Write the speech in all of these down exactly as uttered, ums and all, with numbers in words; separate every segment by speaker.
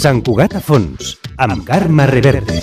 Speaker 1: Sant Cugat a fons, amb Carme Reverte.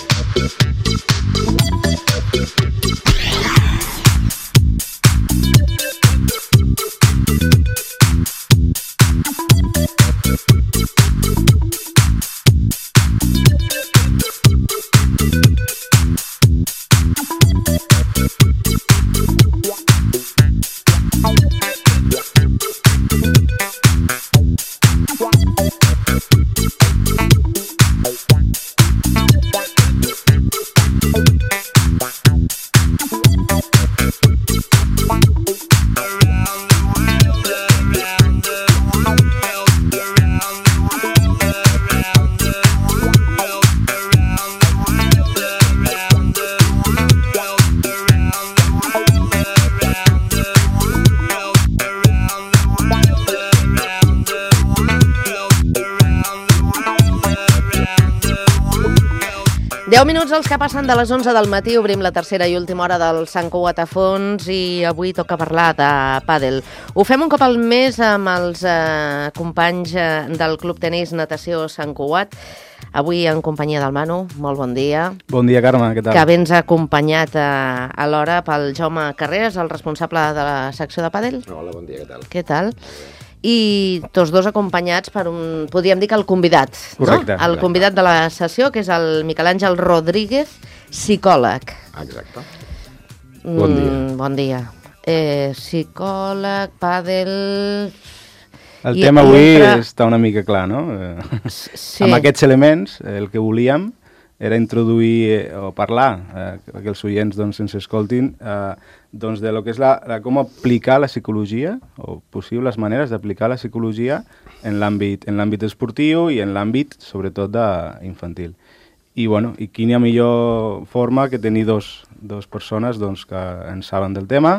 Speaker 2: deu minuts els que passen de les onze del matí, obrim la tercera i última hora del Sant Cugat a fons i avui toca parlar de pàdel. Ho fem un cop al mes amb els eh, companys eh, del Club Tenis Natació Sant Cugat. Avui en companyia del Manu, molt bon dia.
Speaker 3: Bon dia, Carme, què tal?
Speaker 2: Que vens acompanyat a, a l'hora pel Jaume Carreras, el responsable de la secció de pàdel.
Speaker 4: Hola, bon dia, què tal?
Speaker 2: Què tal? I tots dos acompanyats per un, podríem dir que el convidat,
Speaker 3: correcte,
Speaker 2: no? El convidat de la sessió, que és el Miquel Àngel Rodríguez, psicòleg.
Speaker 4: Exacte.
Speaker 2: Mm,
Speaker 4: bon dia.
Speaker 2: Bon dia. Eh, psicòleg, pàdel...
Speaker 3: El
Speaker 2: I,
Speaker 3: tema avui
Speaker 2: entra...
Speaker 3: està una mica clar, no?
Speaker 2: Sí.
Speaker 3: Amb aquests elements, el que volíem era introduir eh, o parlar, eh, que els oients doncs, ens escoltin, eh, doncs de lo que és la, la, com aplicar la psicologia, o possibles maneres d'aplicar la psicologia en l'àmbit en l'àmbit esportiu i en l'àmbit, sobretot, de, infantil. I, bueno, i quina millor forma que tenir dos, dos persones doncs, que en saben del tema.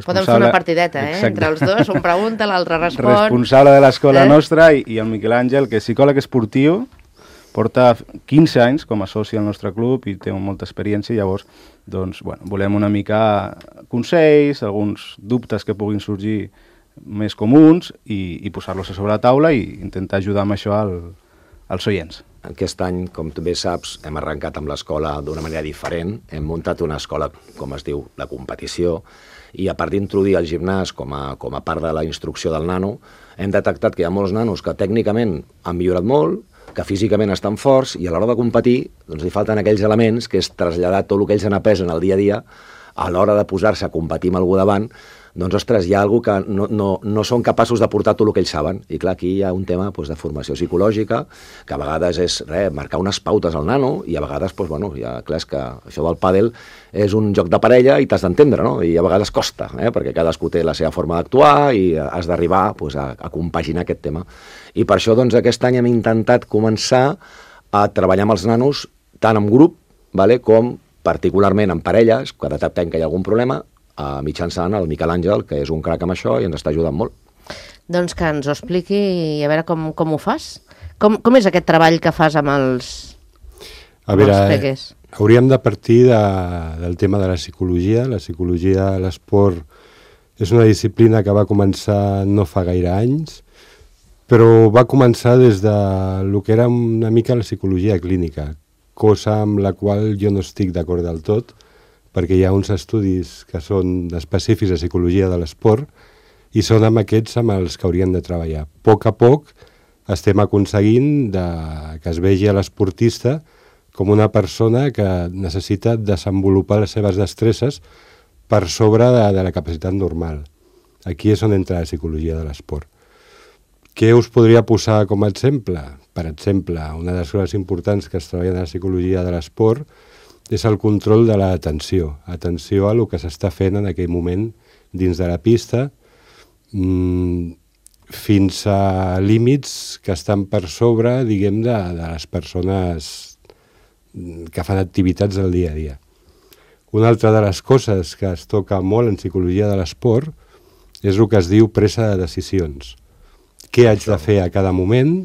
Speaker 2: Podem fer una partideta, eh? Entre els dos, un pregunta, l'altre respon.
Speaker 3: Responsable de l'escola
Speaker 2: eh?
Speaker 3: nostra i, i el Miquel Àngel, que és psicòleg esportiu, porta quinze anys com a soci al nostre club i té molta experiència, i llavors doncs, bueno, volem una mica consells, alguns dubtes que puguin sorgir més comuns i, i posar-los a sobre la taula i intentar ajudar amb això al, als oients.
Speaker 4: Aquest any, com tu bé saps, hem arrencat amb l'escola d'una manera diferent. Hem muntat una escola, com es diu, de competició, i a part d'introduir el gimnàs com a, com a part de la instrucció del nano, hem detectat que hi ha molts nanos que tècnicament han millorat molt, que físicament estan forts, i a l'hora de competir doncs li falten aquells elements que és traslladar tot el que ells han après en el dia a dia a l'hora de posar-se a competir amb algú davant. Doncs, ostres, hi ha alguna cosa que no, no, no són capaços de portar tot el que ells saben. I clar, aquí hi ha un tema doncs, de formació psicològica, que a vegades és res, marcar unes pautes al nano, i a vegades, doncs, bueno, ja, clar, és que això del pàdel és un joc de parella i t'has d'entendre, no? I a vegades costa, eh? Perquè cadascú té la seva forma d'actuar i has d'arribar doncs, a, a compaginar aquest tema. I per això, doncs, aquest any hem intentat començar a treballar amb els nanos tant en grup, vale, com particularment en parelles, que detectem que hi ha algun problema, a mitjançant el Miquel Àngel, que és un crac amb això i ens està ajudant molt.
Speaker 2: Doncs que ens ho expliqui i a veure com, com ho fas. Com, com és aquest treball que fas amb els,
Speaker 5: a veure,
Speaker 2: amb els peques?
Speaker 5: Hauríem de partir de, del tema de la psicologia. La psicologia a l'esport és una disciplina que va començar no fa gaire anys, però va començar des de lo que era una mica la psicologia clínica, cosa amb la qual jo no estic d'acord del tot, perquè hi ha uns estudis que són específics de psicologia de l'esport i són amb aquests amb els que haurien de treballar. A poc a poc estem aconseguint de, que es vegi a l'esportista com una persona que necessita desenvolupar les seves destreses per sobre de, de la capacitat normal. Aquí és on entra la psicologia de l'esport. Què us podria posar com a exemple? Per exemple, una de les coses importants que es treballa en la psicologia de l'esport és el control de l'atenció. Atenció a el que s'està fent en aquell moment dins de la pista, mmm, fins a límits que estan per sobre, diguem, de, de les persones que fan activitats del dia a dia. Una altra de les coses que es toca molt en psicologia de l'esport és el que es diu presa de decisions. Què haig de fer a cada moment?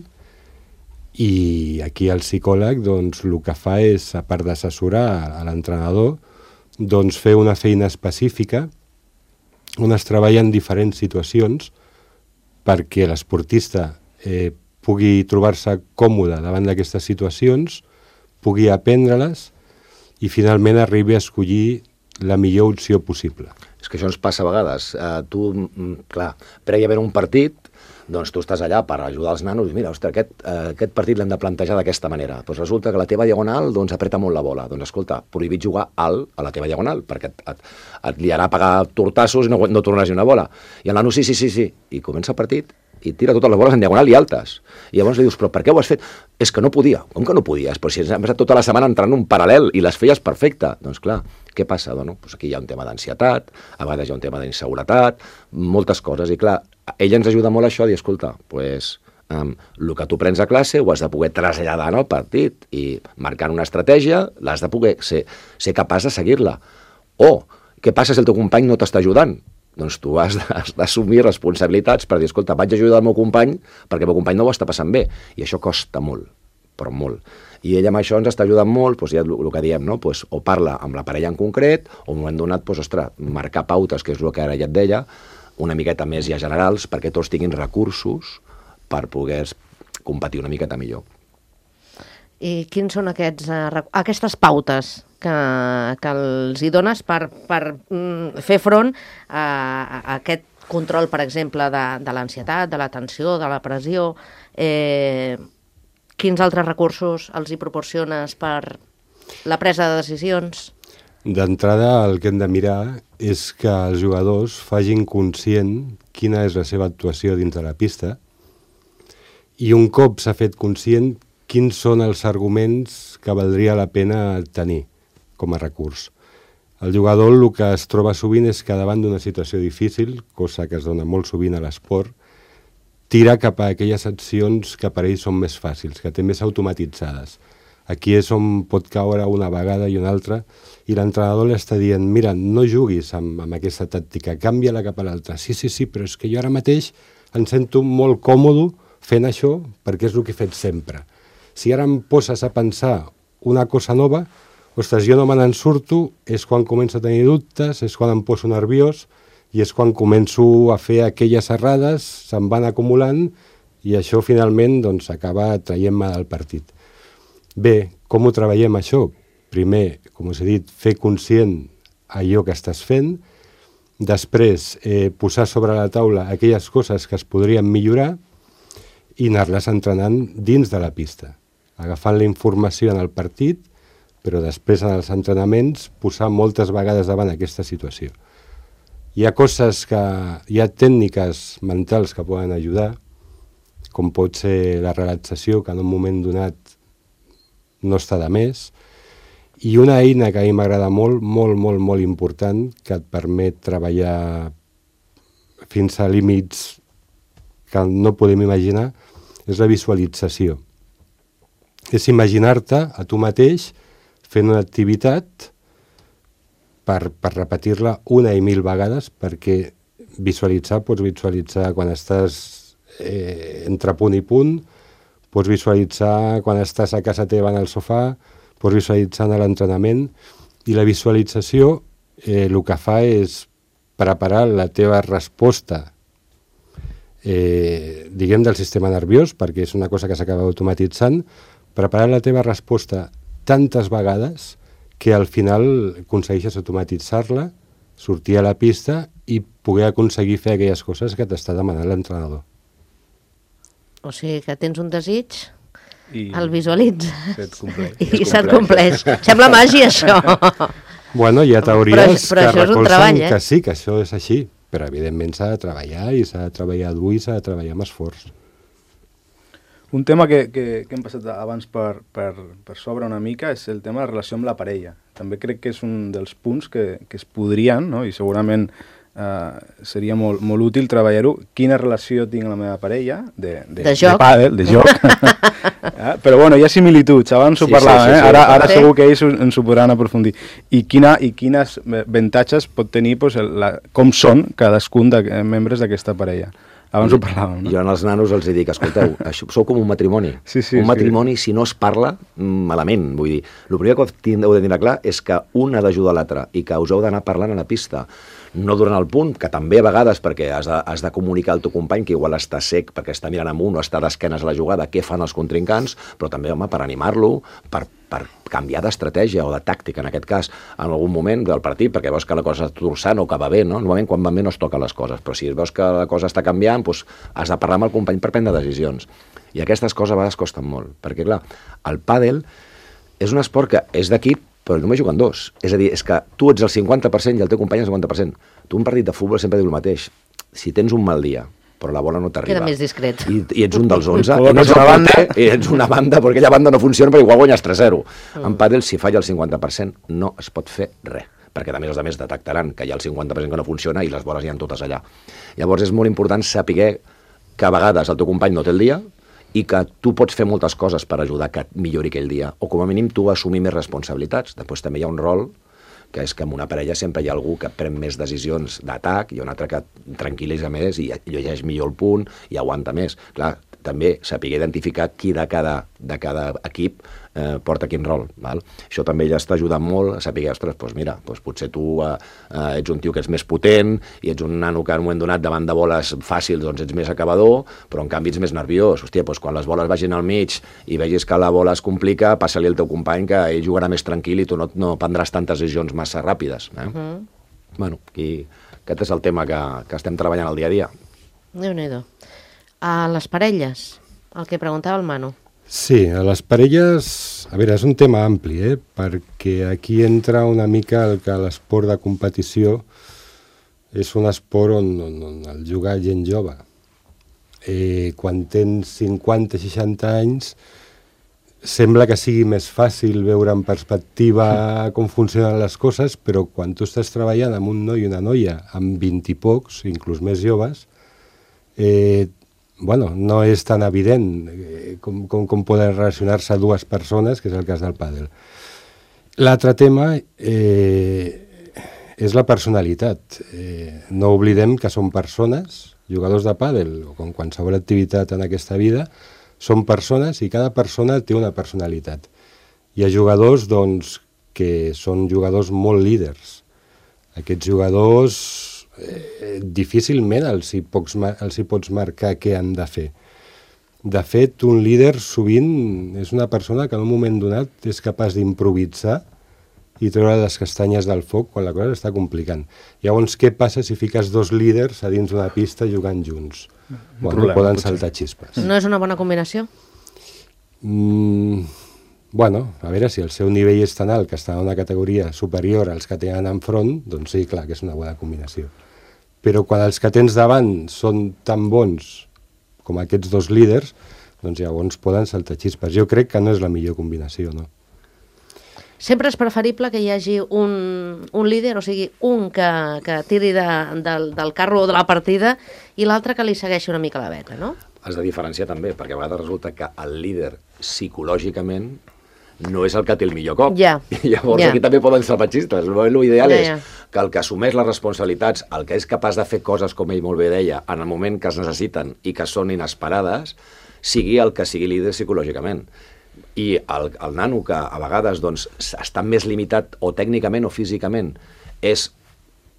Speaker 5: I aquí el psicòleg doncs, el que fa és, a part d'assessorar a l'entrenador, doncs, fer una feina específica on es treballa en diferents situacions perquè l'esportista eh, pugui trobar-se còmode davant d'aquestes situacions, pugui aprendre-les i finalment arribi a escollir la millor opció possible.
Speaker 4: És que això ens passa a vegades. Uh, tu, clar, prèviament un partit, doncs tu estàs allà per ajudar els nanos i mira, ostres, aquest, uh, aquest partit l'hem de plantejar d'aquesta manera. Doncs resulta que la teva diagonal doncs, apreta molt la bola. Doncs escolta, prohibit jugar alt a la teva diagonal, perquè et, et, et liarà a pagar tortassos i no, no tornaràs ni una bola. I el nano, sí, sí, sí, sí. I comença el partit i tira totes les boles en diagonal i altes. I llavors li dius, però per què ho has fet? És que no podia. Com que no podies? Però si hem estat tota la setmana entrant un paral·lel i les feies perfecte. Doncs clar, què passa? Doncs, doncs aquí hi ha un tema d'ansietat, a vegades hi ha un tema d'inseguretat, moltes coses. I clar, ella ens ajuda molt a això, a dir, escolta, pues, um, el que tu prens a classe ho has de poder traslladar en el partit i marcant una estratègia l'has de poder ser, ser capaç de seguir-la. O, què passa si el teu company no t'està ajudant? Doncs tu has d'assumir responsabilitats per dir, escolta, vaig ajudar el meu company perquè el meu company no ho està passant bé. I això costa molt, però molt. I ella amb això ens està ajudant molt, doncs ja el, el que diem, no? Pues, o parla amb la parella en concret, o en un moment donat, pues, ostres, marcar pautes, que és el que ara ja et deia, una miqueta més ja generals, perquè tots tinguin recursos per poder competir una miqueta millor.
Speaker 2: I quins són aquests, uh, aquestes pautes que, que els hi dones per, per mm, fer front a, a aquest control, per exemple, de, de l'ansietat, de la tensió, de la pressió? Eh, quins altres recursos els hi proporciones per la presa de decisions?
Speaker 5: D'entrada, el que hem de mirar és que els jugadors facin conscient quina és la seva actuació dins de la pista i un cop s'ha fet conscient quins són els arguments que valdria la pena tenir com a recurs. El jugador el que es troba sovint és que davant d'una situació difícil, cosa que es dona molt sovint a l'esport, tira cap a aquelles accions que per ell són més fàcils, que té més automatitzades. Aquí és on pot caure una vegada i una altra i l'entrenador li està dient, mira, no juguis amb, amb aquesta tàctica, canvia-la cap a l'altra. Sí, sí, sí, però és que jo ara mateix em sento molt còmode fent això perquè és el que he fet sempre. Si ara em poses a pensar una cosa nova, ostres, jo no me n'en surto, és quan començo a tenir dubtes, és quan em poso nerviós i és quan començo a fer aquelles errades, se'n van acumulant i això finalment doncs, acaba traient-me del partit. Bé, com ho treballem això? Primer, com us he dit, fer conscient allò que estàs fent, després eh, posar sobre la taula aquelles coses que es podrien millorar i anar-les entrenant dins de la pista, agafant la informació en el partit, però després en els entrenaments posar moltes vegades davant aquesta situació. Hi ha coses que, hi ha tècniques mentals que poden ajudar, com pot ser la relaxació, que en un moment donat no està de més, i una eina que a mi m'agrada molt, molt, molt, molt important, que et permet treballar fins a límits que no podem imaginar, és la visualització. És imaginar-te a tu mateix fent una activitat per, per repetir-la una i mil vegades, perquè visualitzar, pots visualitzar quan estàs eh, entre punt i punt, pots visualitzar quan estàs a casa teva en el sofà, pots visualitzar en l'entrenament, i la visualització eh, el que fa és preparar la teva resposta eh, diguem del sistema nerviós, perquè és una cosa que s'acaba automatitzant, preparar la teva resposta tantes vegades que al final aconsegueixes automatitzar-la, sortir a la pista i poder aconseguir fer aquelles coses que t'està demanant l'entrenador.
Speaker 2: O sigui que tens un desig,
Speaker 3: I
Speaker 2: el visualitza
Speaker 3: i
Speaker 2: se't compleix. Sembla màgia, això.
Speaker 5: Bueno, hi ha teories
Speaker 2: però, però
Speaker 5: que recolzen
Speaker 2: treball, eh?
Speaker 5: que sí, que això és així, però evidentment s'ha de treballar i s'ha de treballar dur i s'ha de treballar amb esforç.
Speaker 3: Un tema que, que, que hem passat abans per, per, per sobre una mica és el tema de la relació amb la parella. També crec que és un dels punts que, que es podrien, no? I segurament eh, seria molt, molt útil treballar-ho. Quina relació tinc amb la meva parella de, de,
Speaker 2: de joc,
Speaker 3: de pàdel, de joc. eh? Però bueno, hi ha similituds, abans ho
Speaker 4: Sí,
Speaker 3: parlàvem,
Speaker 4: sí, sí,
Speaker 3: eh? ara, ara
Speaker 2: sí.
Speaker 3: segur que ells ens ho podran aprofundir. I, quina, i quines avantatges pot tenir pues, el, la, com són cadascun de membres d'aquesta parella. Abans ho parlàvem, no?
Speaker 4: Jo als nanos els dic, escolteu, això, sou com un matrimoni.
Speaker 3: Sí, sí,
Speaker 4: un matrimoni,
Speaker 3: sí.
Speaker 4: si no es parla, malament. Vull dir, el primer que heu de tenir clar és que un ha d'ajudar l'altre i que us heu d'anar parlant a la pista. No durant el punt, que també a vegades, perquè has de, has de comunicar al teu company que igual està sec perquè està mirant amunt o està d'esquenes a la jugada, què fan els contrincants, però també, home, per animar-lo, per, per canviar d'estratègia o de tàctica, en aquest cas, en algun moment del partit, perquè veus que la cosa està torçant o que va bé, no? Normalment, quan va bé no es toquen les coses, però si veus que la cosa està canviant, doncs has de parlar amb el company per prendre decisions. I aquestes coses a vegades costen molt, perquè, clar, el pàdel és un esport que és d'equip, però només juguen dos. És a dir, és que tu ets el cinquanta per cent i el teu company el cinquanta per cent. Tu un partit de futbol sempre diu el mateix. Si tens un mal dia, però la bola no t'arriba...
Speaker 2: Queda més discret.
Speaker 4: I, i ets un dels onze, i no ets una banda, i ets una banda, perquè aquella banda no funciona, perquè igual guanyes tres zero. Mm. En pàdel, si falla el cinquanta per cent, no es pot fer res, perquè a més els altres detectaran que hi ha el cinquanta per cent que no funciona i les boles hi ha totes allà. Llavors és molt important saber que a vegades el teu company no té el dia, i que tu pots fer moltes coses per ajudar que et millori aquell dia, o com a mínim tu assumir més responsabilitats. Després també hi ha un rol, que és que en una parella sempre hi ha algú que pren més decisions d'atac, i un altre que tranquil·litza més i llegeix millor el punt i aguanta més. Clar, també saber identificar qui de cada, de cada equip eh, porta quin rol. Val? Això també ja està ajudant molt a saber, ostres, doncs mira, doncs potser tu eh, eh, ets un tio que ets més potent i ets un nano que en un moment donat davant de boles fàcils doncs ets més acabador, però en canvi ets més nerviós. Hòstia, doncs quan les boles vagin al mig i vegis que la bola es complica, passa-li al teu company que ell jugarà més tranquil i tu no, no prendràs tantes decisions massa ràpides. Eh? Uh -huh. Bueno, i aquest és el tema que, que estem treballant al dia a dia.
Speaker 2: Déu-n'hi-do. A les parelles, el que preguntava el Manu.
Speaker 5: Sí, a les parelles... A veure, és un tema ampli, eh? Perquè aquí entra una mica el que l'esport de competició és un esport on, on, on el juga gent jove. Eh, quan tens cinquanta seixanta anys, sembla que sigui més fàcil veure en perspectiva com funcionen les coses, però quan tu estàs treballant amb un noi i una noia amb vint i pocs, inclús més joves, eh, bueno, no és tan evident eh, com, com, com poden relacionar-se dues persones, que és el cas del pàdel. L'altre tema eh, és la personalitat. Eh, no oblidem que són persones, jugadors de pàdel, o com qualsevol activitat en aquesta vida, són persones i cada persona té una personalitat. Hi ha jugadors doncs, que són jugadors molt líders. Aquests jugadors eh, difícilment els hi, pots, els hi pots marcar què han de fer. De fet, un líder sovint és una persona que en un moment donat és capaç d'improvisar i treure les castanyes del foc quan la cosa està complicant. Llavors, què passa si fiques dos líders a dins d'una pista jugant junts? Bueno, problema, poden potser saltar xispes.
Speaker 2: No és una bona combinació?
Speaker 5: Mm, bueno, a veure, si el seu nivell és tan alt que està en una categoria superior als que tenen enfront, doncs sí, clar que és una bona combinació. Però quan els que tens davant són tan bons com aquests dos líders, doncs llavors poden saltar xispes. Jo crec que no és la millor combinació, no?
Speaker 2: Sempre és preferible que hi hagi un, un líder, o sigui, un que, que tiri de, del, del carro de la partida i l'altre que li segueixi una mica la veta, no?
Speaker 4: Has de diferenciar també, perquè a vegades resulta que el líder psicològicament no és el que té el millor cop.
Speaker 2: Ja.
Speaker 4: I llavors
Speaker 2: ja.
Speaker 4: aquí també poden ser petxistes. L'ideal
Speaker 2: ja,
Speaker 4: és
Speaker 2: ja.
Speaker 4: que el que assumeix les responsabilitats, el que és capaç de fer coses, com ell molt bé deia, en el moment que es necessiten i que són inesperades, sigui el que sigui líder psicològicament. I el, el nano que a vegades doncs, està més limitat o tècnicament o físicament és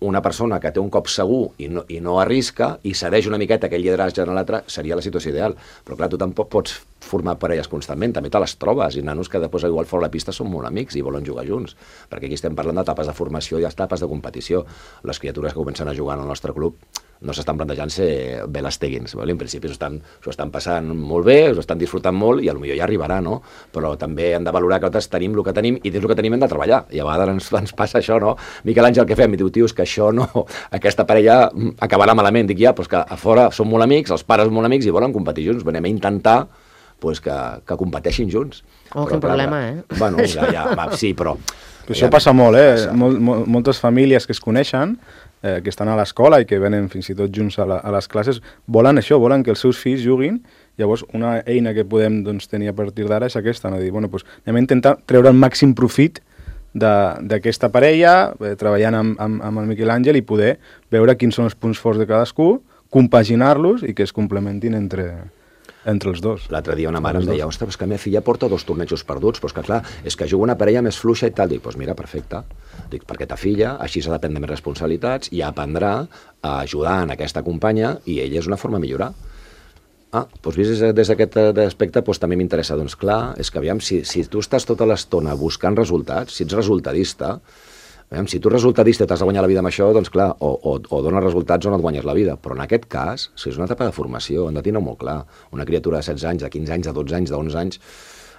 Speaker 4: una persona que té un cop segur i no, i no arrisca i cedeix una miqueta aquell lideratge en l'altre, seria la situació ideal. Però clar, tu tampoc pots formar parelles constantment, també te les trobes, i nanos que després igual fora la pista són molt amics i volen jugar junts, perquè aquí estem parlant d'etapes de formació i etapes de competició. Les criatures que comencen a jugar en el nostre club no s'estan plantejant ser Belasteguins, en principi s'ho estan, s'ho estan passant molt bé, s'ho estan disfrutant molt i potser ja arribarà, no? Però també hem de valorar que nosaltres tenim el que tenim i dins el que tenim hem de treballar, i a vegades ens, ens passa això, no? Miquel Àngel, què fem? I diu, tio, és que això no, aquesta parella acabarà malament. Dic, ja, però és que a fora són molt amics, els pares són molt amics i volen competir junts, venim a intentar pues, que, que competeixin junts.
Speaker 2: Oh, però, quin clar, problema, eh?
Speaker 4: Bueno, ja, ja, va, sí, però...
Speaker 3: però això ja, passa molt, eh? Passa. Mol, mol, moltes famílies que es coneixen, eh, que estan a l'escola i que venen fins i tot junts a, la, a les classes, volen això, volen que els seus fills juguin. Llavors, una eina que podem doncs, tenir a partir d'ara és aquesta, no? Dir, bueno, doncs, anem a intentar treure el màxim profit d'aquesta parella, eh, treballant amb, amb, amb el Miquel Àngel i poder veure quins són els punts forts de cadascú, compaginar-los i que es complementin entre, entre els dos.
Speaker 4: L'altre dia una mare em deia, ostres, és que la meva filla porta dos tornejos perduts, però és que clar, és que juga una parella més fluixa i tal. Dic, doncs mira, perfecte. Dic, perquè ta filla així s'ha de prendre més responsabilitats i aprendrà a ajudar en aquesta companya i ella és una forma de millorar. Ah, doncs vist des d'aquest aspecte doncs també m'interessa. Doncs clar, és que aviam, si, si tu estàs tota l'estona buscant resultats, si ets resultadista, aviam, si tu resultadista t'has de guanyar la vida amb això, doncs clar, o, o, o dones resultats o no et guanyes la vida. Però en aquest cas, si és una etapa de formació, hem de tenir molt clar. Una criatura de setze anys, de quinze anys, de dotze anys, de onze anys,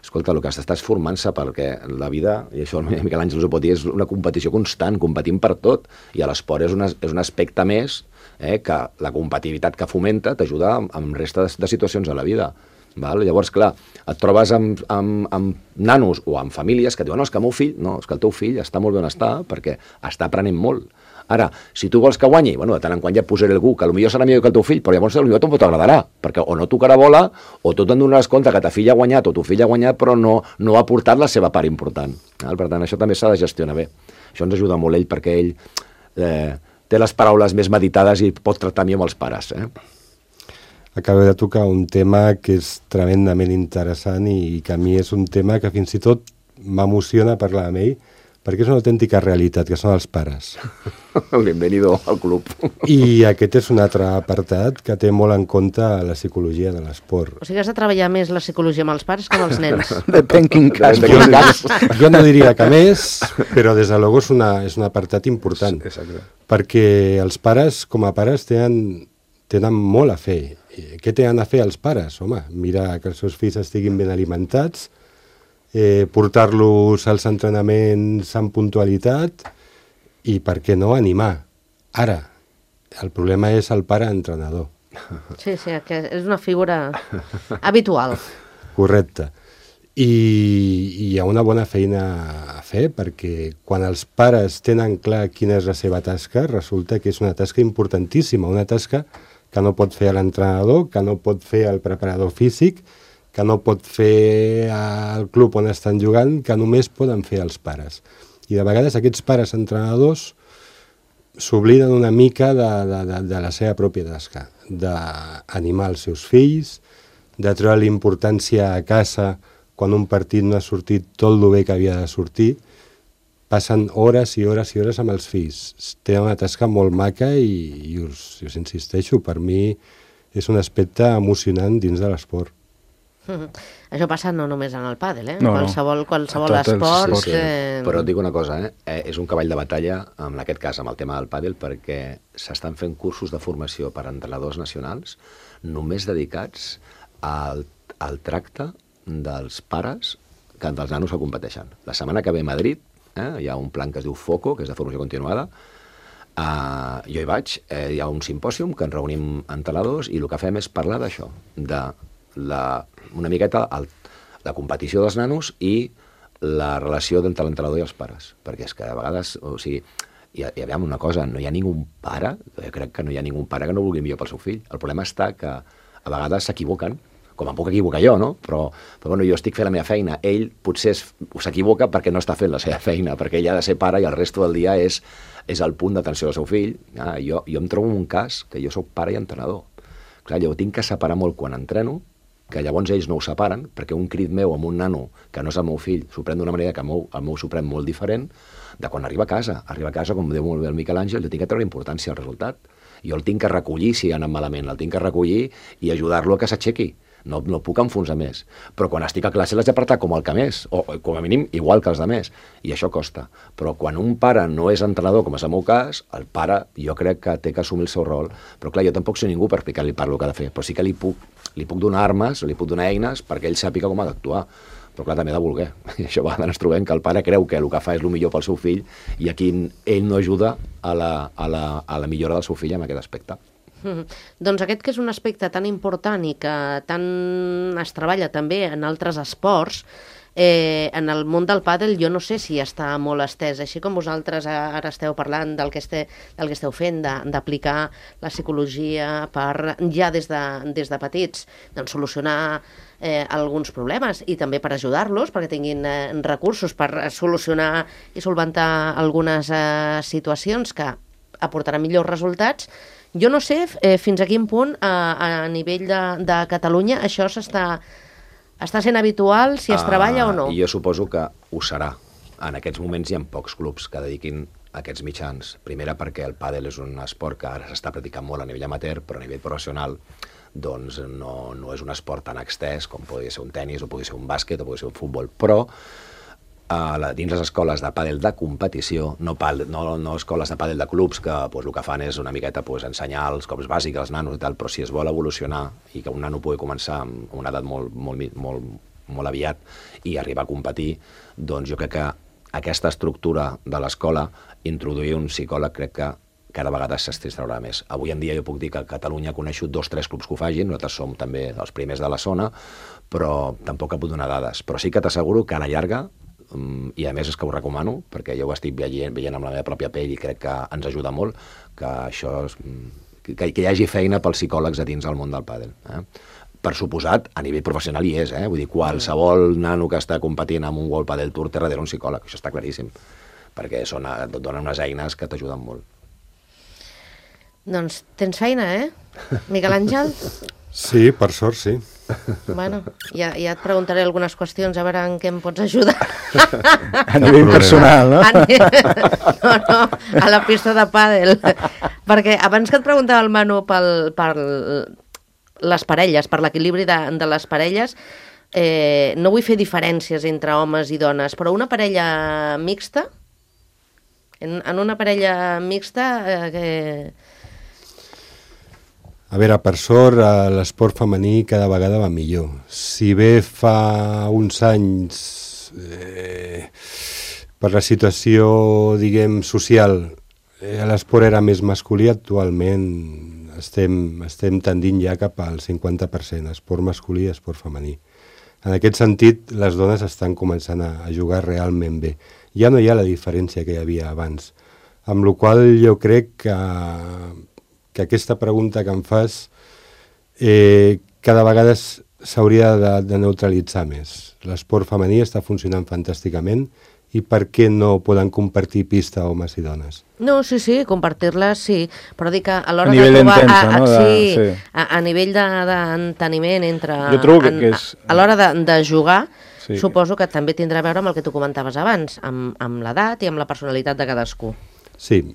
Speaker 4: escolta, el que estàs formant-se perquè la vida, i això el Miquel Àngel ho pot dir, és una competició constant, competim per tot, i l'esport és, una, és un aspecte més eh, que la competitivitat que fomenta t'ajuda amb resta de, de situacions a la vida. Val? Llavors, clar, et trobes amb, amb, amb nanos o amb famílies que diuen no, és que el meu fill, no, és que el teu fill està molt ben està perquè està aprenent molt. Ara, si tu vols que guanyi, bueno, de tant en quan ja et posaré algú que potser serà millor que el teu fill, però llavors potser tampoc t'agradarà, perquè o no tocarà bola, o tu te'n donaràs compte que ta filla ha guanyat o tu fill ha guanyat, però no, no ha portat la seva part important. Per tant, això també s'ha de gestionar bé. Això ens ajuda molt ell, perquè ell eh, té les paraules més meditades i pot tractar millor amb els pares. Eh?
Speaker 5: Acabo de tocar un tema que és tremendament interessant i que a mi és un tema que fins i tot m'emociona parlar amb ell, perquè és una autèntica realitat, que són els pares.
Speaker 4: Bienvenido al club.
Speaker 5: I aquest és un altre apartat que té molt en compte la psicologia de l'esport.
Speaker 2: O sigui, has de treballar més la psicologia amb els pares que amb els nens.
Speaker 3: Depèn quin cas.
Speaker 5: Jo, jo no diria que més, però des de luego és, una, és un apartat important.
Speaker 3: Exacte.
Speaker 5: Perquè els pares, com a pares, tenen, tenen molt a fer. Què tenen a fer els pares? Home, mirar que els seus fills estiguin ben alimentats, Eh, portar-los als entrenaments amb puntualitat i, per què no, animar. Ara, el problema és el pare entrenador.
Speaker 2: Sí, sí, que és una figura habitual.
Speaker 5: Correcte. I, i hi ha una bona feina a fer, perquè quan els pares tenen clar quina és la seva tasca, resulta que és una tasca importantíssima, una tasca que no pot fer l'entrenador, que no pot fer el preparador físic, que no pot fer al club on estan jugant, que només poden fer els pares. I de vegades aquests pares entrenadors s'obliden una mica de, de, de, de la seva pròpia tasca, d'animar els seus fills, de treure l'importància a casa quan un partit no ha sortit tot el bé que havia de sortir. Passen hores i hores i hores amb els fills. Tenen una tasca molt maca i, i us, us insisteixo, per mi és un aspecte emocionant dins de l'esport.
Speaker 2: Mm-hmm. Això passa no només en el pàdel, eh?
Speaker 3: No,
Speaker 2: qualsevol
Speaker 3: no.
Speaker 2: qualsevol esport.
Speaker 4: Sí, sí. Eh... Però et dic una cosa, eh? eh? és un cavall de batalla, en aquest cas amb el tema del pàdel, perquè s'estan fent cursos de formació per a entrenadors nacionals només dedicats al, al tracte dels pares que dels nanos que competeixen. La setmana que ve a Madrid eh? hi ha un plan que es diu FOCO, que és de formació continuada. Uh, jo hi vaig, eh, hi ha un simpòsium que ens reunim entrenadors i el que fem és parlar d'això, de La, una miqueta el, la competició dels nanos i la relació entre l'entrenador i els pares, perquè és que a vegades, o sigui, hi ha, hi ha una cosa, no hi ha ningú pare, jo crec que no hi ha ningú pare que no vulgui millor pel seu fill. El problema està que a vegades s'equivoquen, com em puc equivocar jo, no? Però, però bueno, jo estic fent la meva feina, ell potser s'equivoca perquè no està fent la seva feina, perquè ell ha de ser pare i el resto del dia és, és el punt d'atenció del seu fill. Ah, jo, jo em trobo un cas que jo sóc pare i entrenador. Clar, jo tinc que separar molt quan entreno, que llavors ells no ho separen, perquè un crit meu amb un nano, que no és el meu fill, s'ho pren d'una manera que el meu, el meu s'ho pren molt diferent, de quan arriba a casa. Arriba a casa, com diu molt bé el Miquel Àngel, jo tinc que treure importància al resultat. Jo el tinc que recollir si ha anat malament, el tinc que recollir i ajudar-lo a que s'aixequi. No, no puc enfonsar més. Però quan estic a classe l'haig d'apartar com el que més, o com a mínim igual que els de més, i això costa. Però quan un pare no és entrenador, com és el meu cas, el pare jo crec que té que assumir el seu rol. Però clar, jo tampoc soc ningú per explicar-li el que ha de fer, però sí que li puc, li puc donar armes, li puc donar eines perquè ell sàpiga com ha d'actuar. Però clar, també ha de voler. I això va, ens trobem que el pare creu que el que fa és el millor pel seu fill i aquí ell no ajuda a la, a la, a la millora del seu fill en aquest aspecte.
Speaker 2: Mm. Doncs aquest que és un aspecte tan important i que tant es treballa també en altres esports, eh, en el món del pàdel jo no sé si està molt estès, així com vosaltres ara esteu parlant del que, este, del que esteu fent, d'aplicar la psicologia per ja des de, des de petits doncs, solucionar eh, alguns problemes i també per ajudar-los perquè tinguin eh, recursos per solucionar i solventar algunes eh, situacions que aportaran millors resultats. Jo no sé eh, fins a quin punt a, a nivell de, de Catalunya això s'està està sent habitual, si es uh, treballa o no.
Speaker 4: Jo suposo que ho serà. En aquests moments hi ha pocs clubs que dediquin aquests mitjans. Primera perquè el pàdel és un esport que ara s'està practicant molt a nivell amateur, però a nivell professional doncs no, no és un esport tan extès com podria ser un tennis o podria ser un bàsquet o podria ser un futbol, però a la, dins les escoles de pàdel de competició, no, pal, no, no escoles de pàdel de clubs que pues, el que fan és una miqueta pues, ensenyar els cops bàsics als nanos i tal, però si es vol evolucionar i que un nano pugui començar amb una edat molt, molt, molt, molt aviat i arribar a competir, doncs jo crec que aquesta estructura de l'escola, introduir un psicòleg, crec que cada vegada s'extraurà més. Avui en dia jo puc dir que a Catalunya coneixo dos o tres clubs que ho facin, nosaltres som també els primers de la zona, però tampoc puc donar dades. Però sí que t'asseguro que a la llarga, i a més és que ho recomano, perquè jo ho estic veient, veient amb la meva pròpia pell i crec que ens ajuda molt, que això és, que, que hi hagi feina pels psicòlegs a dins del món del pàdel. Eh? Per suposat, a nivell professional hi és, eh? Vull dir, qualsevol nano que està competint amb un World Padel Tour té darrere un psicòleg, això està claríssim, perquè són, et donen unes eines que t'ajuden molt.
Speaker 2: Doncs tens feina, eh, Miquel Àngel?
Speaker 5: Sí, per sort, sí.
Speaker 2: Bueno, ja, ja et preguntaré algunes qüestions, a veure en què em pots ajudar.
Speaker 3: A nivell personal, no?
Speaker 2: A ni... No, no, a la pista de pàdel. Perquè abans que et preguntava el Manu pel, per les parelles, per l'equilibri de, de les parelles, eh, no vull fer diferències entre homes i dones, però una parella mixta, en, en una parella mixta... Eh,
Speaker 5: A veure, per sort, l'esport femení cada vegada va millor. Si bé fa uns anys, eh, per la situació, diguem, social, eh, l'esport era més masculí, actualment estem, estem tendint ja cap al cinquanta per cent, esport masculí i esport femení. En aquest sentit, les dones estan començant a, a jugar realment bé. Ja no hi ha la diferència que hi havia abans, amb la qual jo crec que... que aquesta pregunta que em fas eh, cada vegada s'hauria de, de neutralitzar més. L'esport femení està funcionant fantàsticament i per què no poden compartir pista homes i dones?
Speaker 2: No, sí, sí, compartir-les sí, però dic que a l'hora
Speaker 3: a nivell
Speaker 2: de trobar...
Speaker 3: intensa,
Speaker 2: a, a,
Speaker 3: no? De,
Speaker 2: sí,
Speaker 3: sí.
Speaker 2: A, a nivell d'enteniment de, entre...
Speaker 3: Jo trobo que,
Speaker 2: en,
Speaker 3: que és...
Speaker 2: A, a l'hora de, de jugar,
Speaker 3: sí.
Speaker 2: Suposo que també tindrà a veure amb el que tu comentaves abans, amb, amb l'edat i amb la personalitat de cadascú.
Speaker 5: Sí.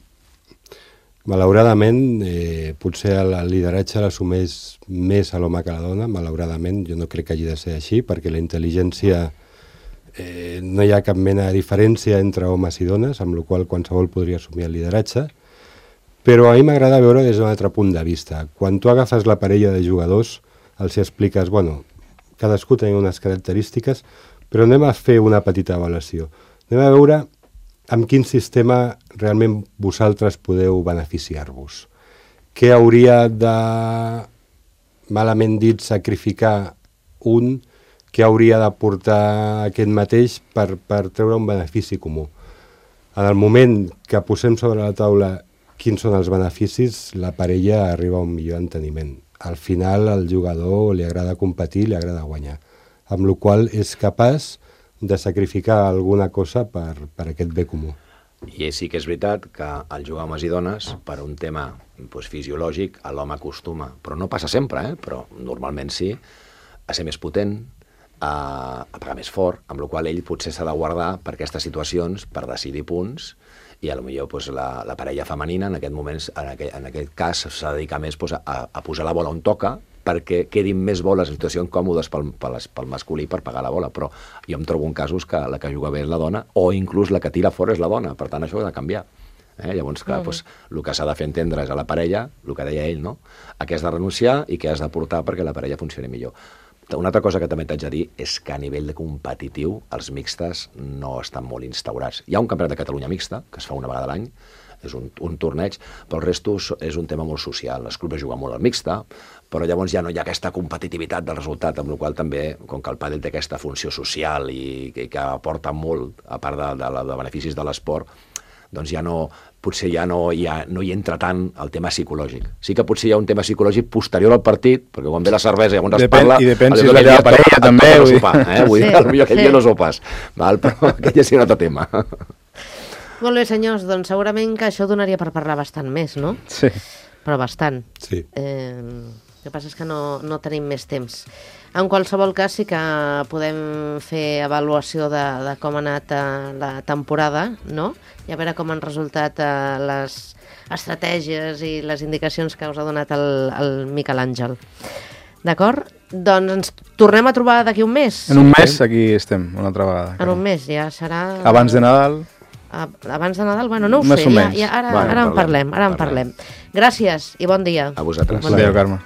Speaker 5: Malauradament, eh, potser el lideratge l'assumeix més a l'home que a la dona, malauradament, jo no crec que hagi de ser així, perquè la intel·ligència, eh, no hi ha cap mena de diferència entre homes i dones, amb la qual qualsevol podria assumir el lideratge, però a mi m'agrada veure des d'un altre punt de vista. Quan tu agafes la parella de jugadors, els expliques, bueno, cadascú tenia unes característiques, però anem a fer una petita avaluació. Anem a veure amb quin sistema realment vosaltres podeu beneficiar-vos. Què hauria de, malament dit, sacrificar un, què hauria d'aportar aquest mateix per, per treure un benefici comú. En el moment que posem sobre la taula quins són els beneficis, la parella arriba a un millor enteniment. Al final, al jugador li agrada competir, li agrada guanyar, amb la qual és capaç de sacrificar alguna cosa per, per aquest bé comú.
Speaker 4: I sí que és veritat que el jugar homes i dones, per un tema doncs, fisiològic, l'home acostuma, però no passa sempre, eh? Però normalment sí, a ser més potent, a, a pagar més fort, amb la qual ell potser s'ha de guardar per aquestes situacions, per decidir punts, i potser doncs, la, la parella femenina en aquest moment, en aquest, en aquest cas, s'ha de dedicar més doncs, a, a posar la bola on toca, perquè quedin més boles en situacions còmodes pel, pel, pel masculí per pagar la bola, però jo em trobo en casos que la que juga bé és la dona, o inclús la que tira fora és la dona, per tant això ha de canviar. Eh? Llavors, clar, mm. doncs, el que s'ha de fer entendre és a la parella, el que deia ell, no? A què has de renunciar i què has d'aportar perquè la parella funcioni millor. Una altra cosa que també t'haig de dir és que a nivell de competitiu els mixtes no estan molt instaurats. Hi ha un campionat de Catalunya mixta, que es fa una vegada a l'any, és un, un torneig, però el resto és un tema molt social. Els clubs juguen molt al mixta, però llavors ja no hi ha aquesta competitivitat del resultat, amb la qual també, com que el pàdel té aquesta funció social i, i que aporta molt, a part de, de, de beneficis de l'esport, doncs ja no, potser ja no hi, ha, no hi entra tant el tema psicològic. Sí que potser hi ha un tema psicològic posterior al partit, perquè quan ve la cervesa i llavors es parla...
Speaker 3: I depèn si és la teva parella, també.
Speaker 4: No sopar, eh? Vull dir, potser aquell dia no sopes, val? Però aquell ja sí un altre tema.
Speaker 2: Molt bé, senyors, doncs segurament que això donaria per parlar bastant més, no?
Speaker 3: Sí.
Speaker 2: però bastant.
Speaker 5: Sí.
Speaker 2: Eh, el que passa és que no, no tenim més temps. En qualsevol cas sí que podem fer avaluació de, de com ha anat eh, la temporada, no? I a veure com han resultat eh, les estratègies i les indicacions que us ha donat el, el Miquel Àngel. D'acord? Doncs ens tornem a trobar d'aquí un mes.
Speaker 3: En un mes aquí estem, una altra vegada.
Speaker 2: En un mes, ja serà...
Speaker 3: Abans de Nadal...
Speaker 2: Abans de Nadal? Bueno, no ho
Speaker 3: Més
Speaker 2: sé,
Speaker 3: o
Speaker 2: ja,
Speaker 3: menys.
Speaker 2: ja, ara,
Speaker 4: Bueno,
Speaker 2: ara en
Speaker 4: parlem,
Speaker 2: parlem, ara en
Speaker 4: parlem.
Speaker 2: parlem. Gràcies i bon dia.
Speaker 4: A vosaltres.
Speaker 3: Bon dia, Carme.